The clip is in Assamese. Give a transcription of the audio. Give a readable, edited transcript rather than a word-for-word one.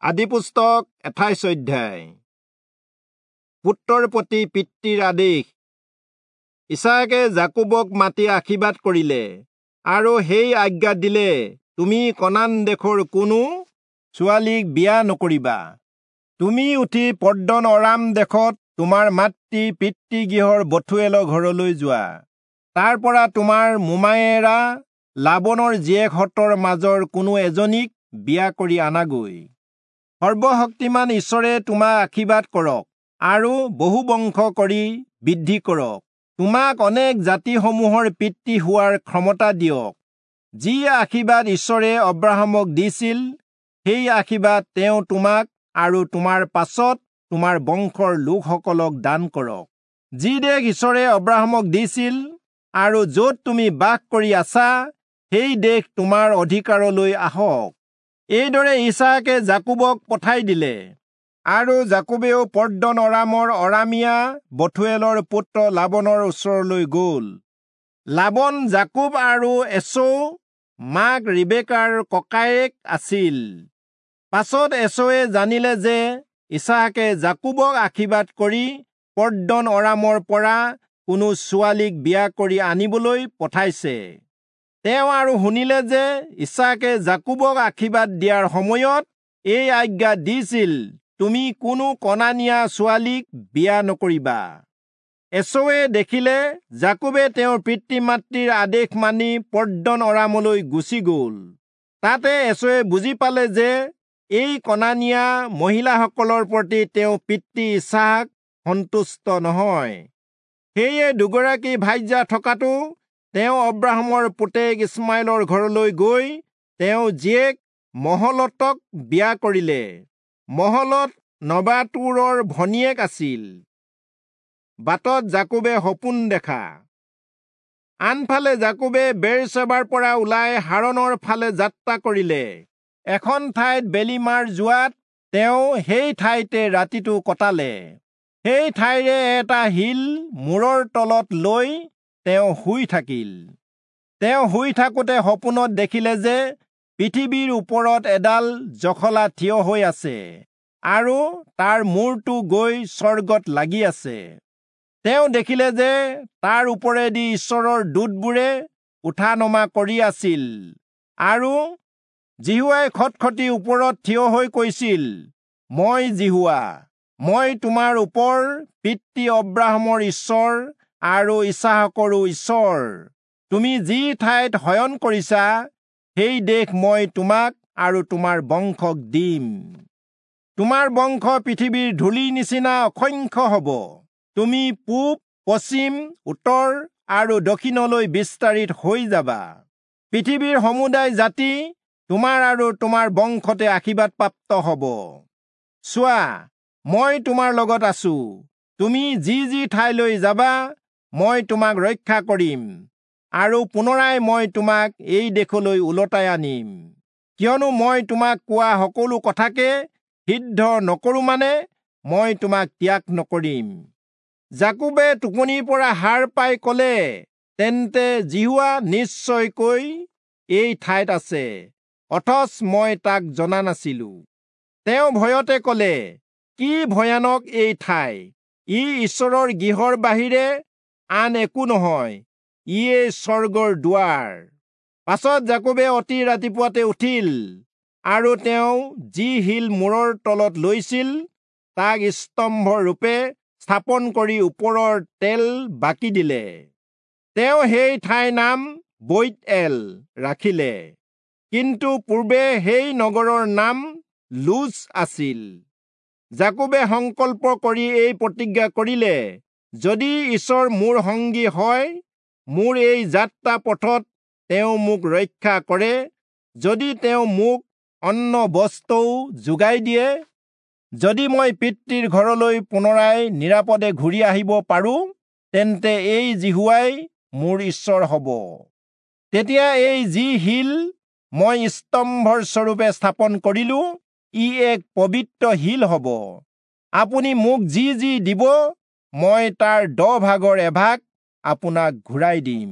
আদিপুস্তক 28 অধ্যায়। পুত্ৰৰ প্ৰতি পিতৃৰ আদেশ। ইছাকে যাকোবক মাতি আশীৰ্বাদ কৰিলে আৰু সেই আজ্ঞা দিলে, তুমি কনান দেশৰ কোনো ছোৱালীক বিয়া নকৰিবা। তুমি উঠি পৰ্দন অৰাম দেশত তোমাৰ মাতৃ পিতৃগৃহৰ বথুৱেলৰ ঘৰলৈ যোৱা। তাৰ পৰা তোমাৰ মোমায়েৰা লাবনৰ জীয়েকহঁতৰ মাজৰ কোনো এজনীক বিয়া কৰি আনাগৈ। সৰ্বশক্তিমান ঈশ্বৰে তোমাক আশীৰ্বাদ কৰক আৰু বহু বংশ কৰি বৃদ্ধি কৰক। তোমাক অনেক জাতিসমূহৰ পিতৃ হোৱাৰ ক্ষমতা দিয়ক। যি আশীৰ্বাদ ঈশ্বৰে অব্ৰাহামক দিছিল, সেই আশীৰ্বাদ তেওঁ তোমাক আৰু তোমাৰ পাছত তোমাৰ বংশৰ লোকসকলক দান কৰক। যি দেশ ঈশ্বৰে অব্ৰাহামক দিছিল আৰু য'ত তুমি বাস কৰি আছা, সেই দেশ তোমাৰ অধিকাৰলৈ আহক। এইদৰে ইছাকে যাকোবক পঠাই দিলে আৰু যাকোবেও পৰ্দন অৰামৰ অৰামীয়া বথুৱেলৰ পুত্ৰ লাবনৰ ওচৰলৈ গ'ল। লাবন যাকোব আৰু এচৌ মাক ৰিবেকাৰ ককায়েক আছিল। পাছত এচৌৱে জানিলে যে ইছাকে যাকোবক আশীৰ্বাদ কৰি পৰ্দন অৰামৰ পৰা কোনো ছোৱালীক বিয়া কৰি আনিবলৈ পঠাইছে। তেওঁ আৰু শুনিলে যে ইছাকে যাকোবক আশীৰ্বাদ দিয়াৰ সময়ত এই আজ্ঞা দিছিল, তুমি কোনো কনানীয়া ছোৱালীক বিয়া নকৰিবা। এচৌৱে দেখিলে যাকোবে তেওঁৰ পিতৃ মাতৃৰ আদেশ মানি পৰ্দন অৰামলৈ গুচি গ'ল। তাতে এচৌৱে বুজি পালে যে এই কনানীয়া মহিলাসকলৰ প্ৰতি তেওঁ পিতৃ ইছাক সন্তুষ্ট নহয়। সেয়ে দুগৰাকী ভাৰ্যা থকাটো তেওঁ অব্ৰাহামৰ পুতেক ইছমাইলৰ ঘৰলৈ গৈ তেওঁ জীয়েক মহলতক বিয়া কৰিলে। মহলত নবাতুৰৰ ভনীয়েক আছিল। বাটত যাকোবে সপোন দেখা। আনফালে যাকোবে বেৰচেবাৰ পৰা ওলাই হাৰণৰ ফালে যাত্ৰা কৰিলে। এখন ঠাইত বেলি মাৰ যোৱাত তেওঁ সেই ঠাইতে ৰাতিটো কটালে। সেই ঠাইৰে এটা শিল মূৰৰ তলত লৈ তেওঁ শুই থাকিল। তেওঁ শুই থাকোঁতে সপোনত দেখিলে যে পৃথিৱীৰ ওপৰত এডাল জখলা থিয় হৈ আছে আৰু তাৰ মূৰটো গৈ স্বৰ্গত লাগি আছে। তেওঁ দেখিলে যে তাৰ ওপৰেদি ঈশ্বৰৰ দূতবোৰে উঠা নমা কৰি আছিল আৰু যিহোৱাই খটখটি ওপৰত থিয় হৈ কৈছিল, মই যিহোৱা, মই তোমাৰ ওপৰ পিতৃ অব্ৰাহামৰ ঈশ্বৰ আৰু ইছাহকৰো ঈশ্বৰ। তুমি যি ঠাইত শয়ন কৰিছা, সেই দেশ মই তোমাক আৰু তোমাৰ বংশক দিম। তোমাৰ বংশ পৃথিৱীৰ ধূলিৰ নিচিনা অসংখ্য হ'ব। তুমি পূব, পশ্চিম, উত্তৰ আৰু দক্ষিণলৈ বিস্তাৰিত হৈ যাবা। পৃথিৱীৰ সমুদায় জাতি তোমাৰ আৰু তোমাৰ বংশতে আশীৰ্বাদপ্ৰাপ্ত হ'ব। চোৱা, মই তোমাৰ লগত আছো। তুমি যি যি ঠাইলৈ যাবা, মই তোমাক ৰক্ষা কৰিম আৰু পুনৰাই মই তোমাক এই দেশলৈ ওলটাই আনিম। কিয়নো মই তোমাক কোৱা সকলো কথাকে সিদ্ধ নকৰো, মানে মই তোমাক ত্যাগ নকৰিম। যাকোবে টোপনিৰ পৰা সাৰ পাই কলে, তেন্তে যিহোৱা নিশ্চয়কৈ এই ঠাইত আছে, অথচ মই তাক জনা নাছিলো। তেওঁ ভয়তে কলে, কি ভয়ানক এই ঠাই! ই ঈশ্বৰৰ গৃহৰ বাহিৰে আন একো নহয়, ইয়ে স্বৰ্গৰ দুৱাৰ। পাছত যাকোবে অতি ৰাতিপুৱাতে উঠিল আৰু তেওঁ যি শিল মূৰৰ তলত লৈছিল তাক স্তম্ভ ৰূপে স্থাপন কৰি ওপৰৰ তেল বাকি দিলে। তেওঁ সেই ঠাইৰ নাম বৈৎএল ৰাখিলে, কিন্তু পূৰ্বে সেই নগৰৰ নাম লুজ আছিল। যাকোবে সংকল্প কৰি এই প্ৰতিজ্ঞা কৰিলে, যদি ঈশ্বৰ মোৰ সংগী হয়, মোৰ এই যাত্ৰা পথত তেওঁ মোক ৰক্ষা কৰে, যদি তেওঁ মোক অন্ন বস্ত্ৰও যোগাই দিয়ে, যদি মই পিতৃৰ ঘৰলৈ পুনৰাই নিৰাপদে ঘূৰি আহিব পাৰো, তেন্তে এই যিহোৱাই মোৰ ঈশ্বৰ হ'ব। তেতিয়া এই যি শিল মই স্তম্ভৰ স্বৰূপে স্থাপন কৰিলো, ই এক পবিত্ৰ শিল হ'ব। আপুনি মোক যি যি দিব, মই তাৰ 10 ভাগৰ এভাগ আপোনাক ঘূৰাই দিম।